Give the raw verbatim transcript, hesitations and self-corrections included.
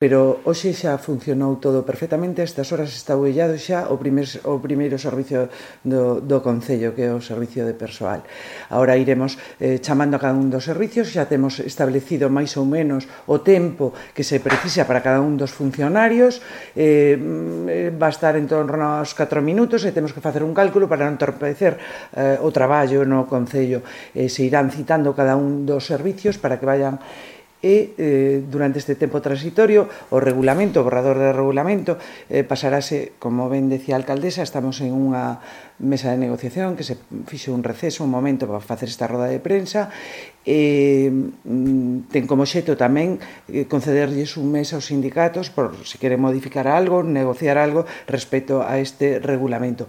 pero hoxe xa funcionou todo perfectamente. A estas horas está bullado xa o, primer, o primeiro servicio do, do Concello, que é o servicio de persoal. Ahora iremos eh, chamando a cada un dos servicios, xa temos establecido máis ou menos o tempo que se precisa para cada un dos funcionarios, eh, va a estar en torno aos catro minutos e temos que facer un cálculo para non entorpecer eh, o traballo no Concello. Eh, se irán citando cada un dos servicios para que vayan e eh, durante este tempo transitorio o regulamento, o borrador de regulamento eh, pasarase, como ben decía a alcaldesa, estamos en unha mesa de negociación que se fixe un receso, un momento para facer esta roda de prensa e ten como xeito tamén eh, concederlles un mes aos sindicatos por se queren modificar algo, negociar algo respecto a este regulamento.